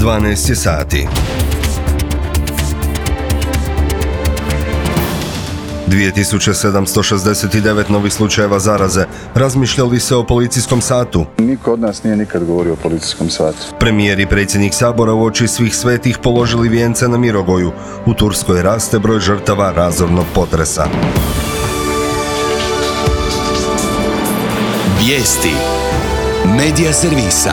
12 sati. 2769 novih slučajeva zaraze. Razmišlja li se o policijskom satu? Niko od nas nije nikad govorio o policijskom satu. Premijer i predsjednik Sabora uoči svih svetih položili vijence na Mirogoju. U Turskoj raste broj žrtava razornog potresa. Vijesti Medija servisa.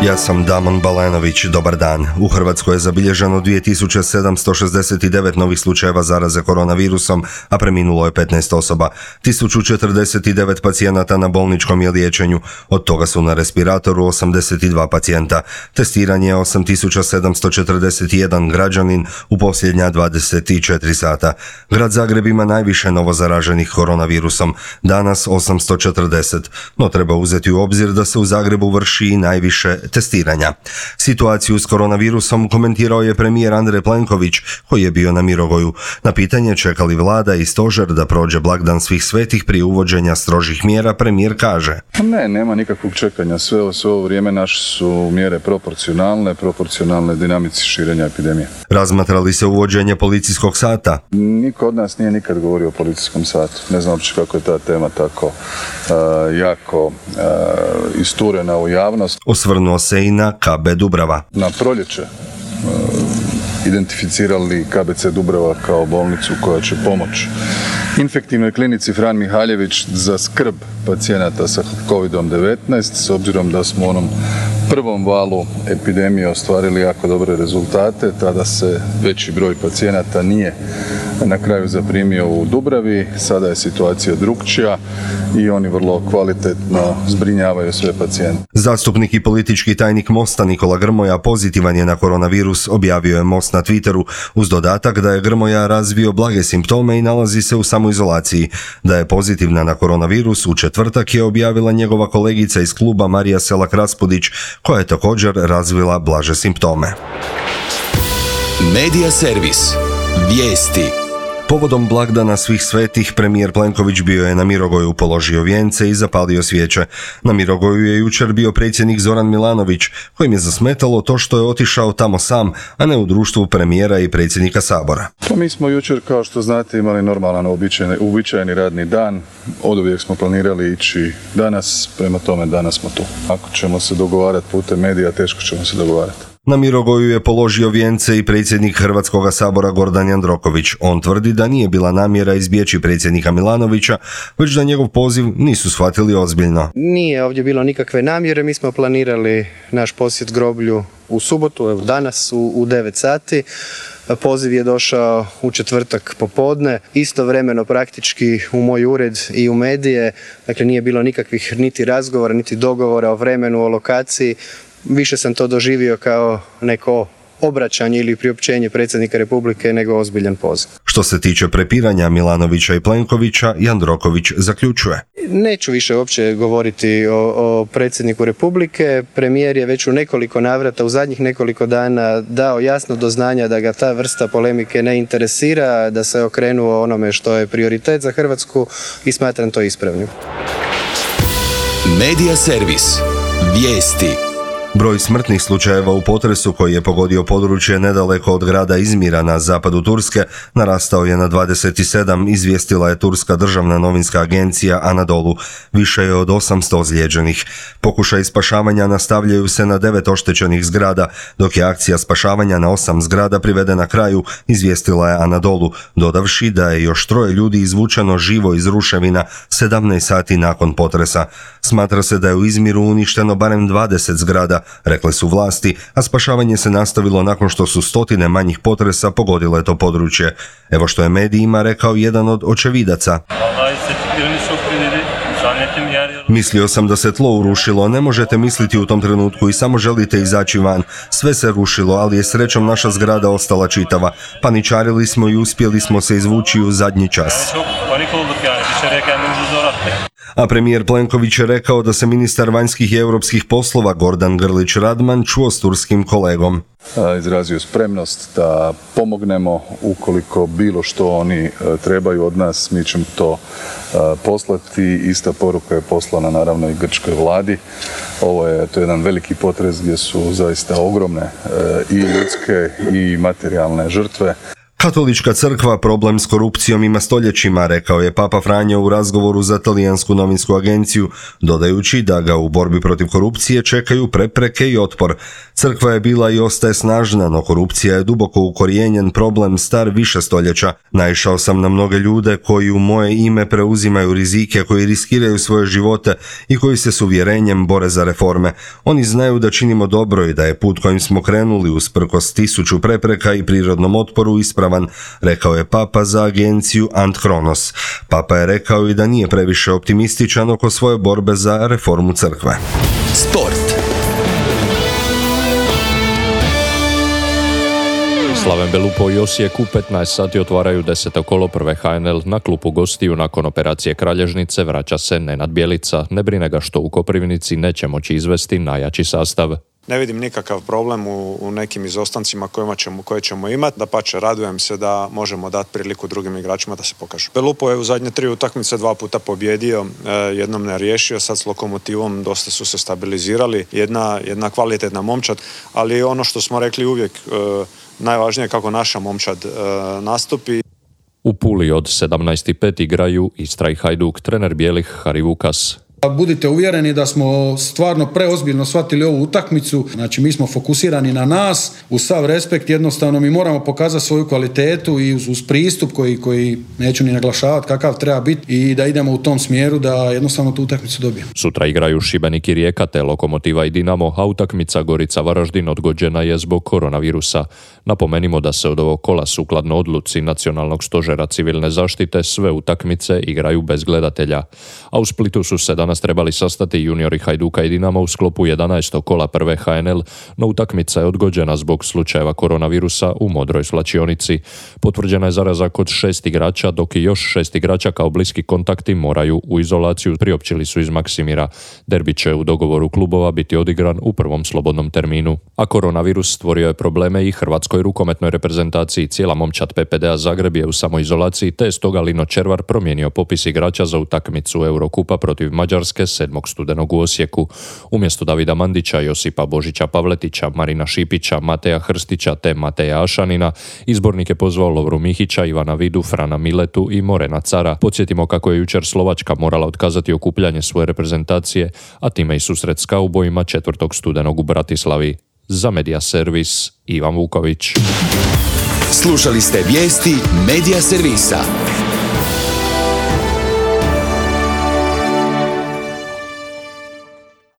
Ja sam Damon Balenović, dobar dan. U Hrvatskoj je zabilježeno 2769 novih slučajeva zaraze koronavirusom, a preminulo je 15 osoba. 1049 pacijenata na bolničkom je liječenju, od toga su na respiratoru 82 pacijenta. Testiranje je 8741 građanin u posljednja 24 sata. Grad Zagreb ima najviše novozaraženih koronavirusom, danas 840, no treba uzeti u obzir da se u Zagrebu vrši i najviše testiranja. Situaciju s koronavirusom komentirao je premijer Andrej Plenković, koji je bio na Mirogoju. Na pitanje čeka li vlada i stožer da prođe blagdan svih svetih prije uvođenja strožih mjera, premijer kaže: Nema nikakvog čekanja. Sve ovo vrijeme naše su mjere proporcionalne dinamici širenja epidemije. Razmatra li se uvođenje policijskog sata? Niko od nas nije nikad govorio o policijskom satu. Ne znam uopće kako je ta tema tako jako isturena u javnost. Osvrnuo se i na KB Dubrava. Na proljeće identificirali KBC Dubrava kao bolnicu koja će pomoći infektivnoj klinici Fran Mihaljević za skrb pacijenata sa COVID-19, s obzirom da smo u onom prvom valu epidemije ostvarili jako dobre rezultate. Tada se veći broj pacijenata nije na kraju zaprimio u Dubravi. Sada je situacija drukčija i oni vrlo kvalitetno zbrinjavaju sve pacijente. Zastupnik i politički tajnik Mosta Nikola Grmoja pozitivan je na koronavirus, objavio je Most na Twitteru, uz dodatak da je Grmoja razvio blage simptome i nalazi se u samoizolaciji. Da je pozitivna na koronavirus u četvrtak je objavila njegova kolegica iz kluba Marija Selak-Raspudić, koja je također razvila blaže simptome. Medija servis. Vijesti. Povodom blagdana svih svetih, premijer Plenković bio je na Mirogoju, položio vijence i zapalio svijeće. Na Mirogoju je jučer bio predsjednik Zoran Milanović, kojim je zasmetalo to što je otišao tamo sam, a ne u društvu premijera i predsjednika Sabora. Pa mi smo jučer, kao što znate, imali normalan uobičajeni radni dan. Oduvijek smo planirali ići danas, prema tome danas smo tu. Ako ćemo se dogovarati putem medija, teško ćemo se dogovarati. Na Mirogoju je položio vijence i predsjednik Hrvatskoga sabora Gordan Jandroković. On tvrdi da nije bila namjera izbjeći predsjednika Milanovića, već da njegov poziv nisu shvatili ozbiljno. Nije ovdje bilo nikakve namjere, mi smo planirali naš posjet groblju u subotu, evo danas u 9 sati. Poziv je došao u četvrtak popodne, istovremeno praktički u moj ured i u medije, dakle nije bilo nikakvih niti razgovora, niti dogovora o vremenu, o lokaciji. Više sam to doživio kao neko obraćanje ili priopćenje predsjednika Republike nego ozbiljan poziv. Što se tiče prepiranja Milanovića i Plenkovića, Jandroković zaključuje: Neću više uopće govoriti o predsjedniku Republike. Premijer je već u nekoliko navrata, u zadnjih nekoliko dana dao jasno do znanja da ga ta vrsta polemike ne interesira, da se okrenuo onome što je prioritet za Hrvatsku i smatram to ispravnim. Medija servis. Vijesti. Broj smrtnih slučajeva u potresu koji je pogodio područje nedaleko od grada Izmira na zapadu Turske narastao je na 27, izvijestila je turska državna novinska agencija Anadolu. Više je od 800 ozlijeđenih. Pokušaj spašavanja nastavljaju se na 9 oštećenih zgrada, dok je akcija spašavanja na 8 zgrada privedena kraju, izvijestila je Anadolu, dodavši da je još 3 ljudi izvučeno živo iz ruševina 17 sati nakon potresa. Smatra se da je u Izmiru uništeno barem 20 zgrada, rekle su vlasti, a spašavanje se nastavilo nakon što su stotine manjih potresa pogodile to područje. Evo što je medijima rekao jedan od očevidaca. Mislio sam da se tlo urušilo, ne možete misliti u tom trenutku i samo želite izaći van. Sve se rušilo, ali je srećom naša zgrada ostala čitava. Paničarili smo i uspjeli smo se izvući u zadnji čas. A premijer Plenković je rekao da se ministar vanjskih i europskih poslova Gordan Grlić Radman čuo s turskim kolegom. Izrazio spremnost da pomognemo ukoliko bilo što oni trebaju od nas, mi ćemo to poslati. Ista poruka je poslana naravno i grčkoj vladi. Ovo je to jedan veliki potres gdje su zaista ogromne i ljudske i materijalne žrtve. Katolička crkva problem s korupcijom ima stoljećima, rekao je Papa Franjo u razgovoru za talijansku novinsku agenciju, dodajući da ga u borbi protiv korupcije čekaju prepreke i otpor. Crkva je bila i ostaje snažna, no korupcija je duboko ukorijenjen problem star više stoljeća. Naišao sam na mnoge ljude koji u moje ime preuzimaju rizike, koji riskiraju svoje živote i koji se s uvjerenjem bore za reforme. Oni znaju da činimo dobro i da je put kojim smo krenuli usprkos 1000 prepreka i prirodnom otporu ispravan, rekao je Papa za agenciju Ant Kronos. Papa je rekao i da nije previše optimističan oko svoje borbe za reformu crkve. Sport. Slaven Belupo i Osijek u 15 sati otvaraju 10. kolo prve HNL. Na klupu gostiju nakon operacije kralježnice vraća se Nenad Bjelica. Ne brine ga što u Koprivnici neće moći izvesti najjači sastav. Ne vidim nikakav problem u nekim izostancima koje ćemo imati. Dapače, radujem se da možemo dati priliku drugim igračima da se pokažu. Belupo je u zadnje 3 utakmice 2 puta pobjedio, jednom ne riješio, sad s Lokomotivom dosta su se stabilizirali. Jedna kvalitetna momčad, ali ono što smo rekli uvijek, najvažnije je kako naša momčad nastupi. U Puli od 17:05 igraju Istra i Hajduk, trener bijelih Hari Vukas. Budite uvjereni da smo stvarno preozbiljno shvatili ovu utakmicu, znači mi smo fokusirani na nas, uz sav respekt jednostavno mi moramo pokazati svoju kvalitetu i uz pristup koji neću ni naglašavati kakav treba biti i da idemo u tom smjeru da jednostavno tu utakmicu dobijemo. Sutra igraju Šibenik i Rijeka te Lokomotiva i Dinamo, a utakmica Gorica Varaždin odgođena je zbog koronavirusa. Napomenimo da se od ovog kola sukladno odluci Nacionalnog stožera civilne zaštite sve utakmice igraju bez gledatelja. A u Splitu su se danas trebali sastati juniori Hajduka i Dinama u sklopu 11. kola prve HNL, no utakmica je odgođena zbog slučajeva koronavirusa u Modroj svlačionici. Potvrđena je zaraza kod 6 igrača, dok i još 6 igrača kao bliski kontakti moraju u izolaciju, priopćili su iz Maksimira. Derbi će u dogovoru klubova biti odigran u prvom slobodnom terminu. A koronavirus stvorio je probleme i hrvatskoj rukometnoj reprezentaciji. Cijela momčad PPD-a Zagreb je u samoizolaciji, te je stoga Lino Červar promijenio popis igrača za utakmicu Eurokupa protiv Mađarske 7. studenog u Osijeku. Umjesto Davida Mandića, Josipa Božića Pavletića, Marina Šipića, Mateja Hrstića te Mateja Ašanina, izbornik je pozvao Lovru Mihića, Ivana Vidu, Frana Miletu i Morena Cara. Podsjetimo kako je jučer Slovačka morala otkazati okupljanje svoje reprezentacije, a time i susret s kaubojima 4. studenog u Bratislavi. Za Media Servis, Ivan Vuković. Slušali ste vijesti Media Servisa.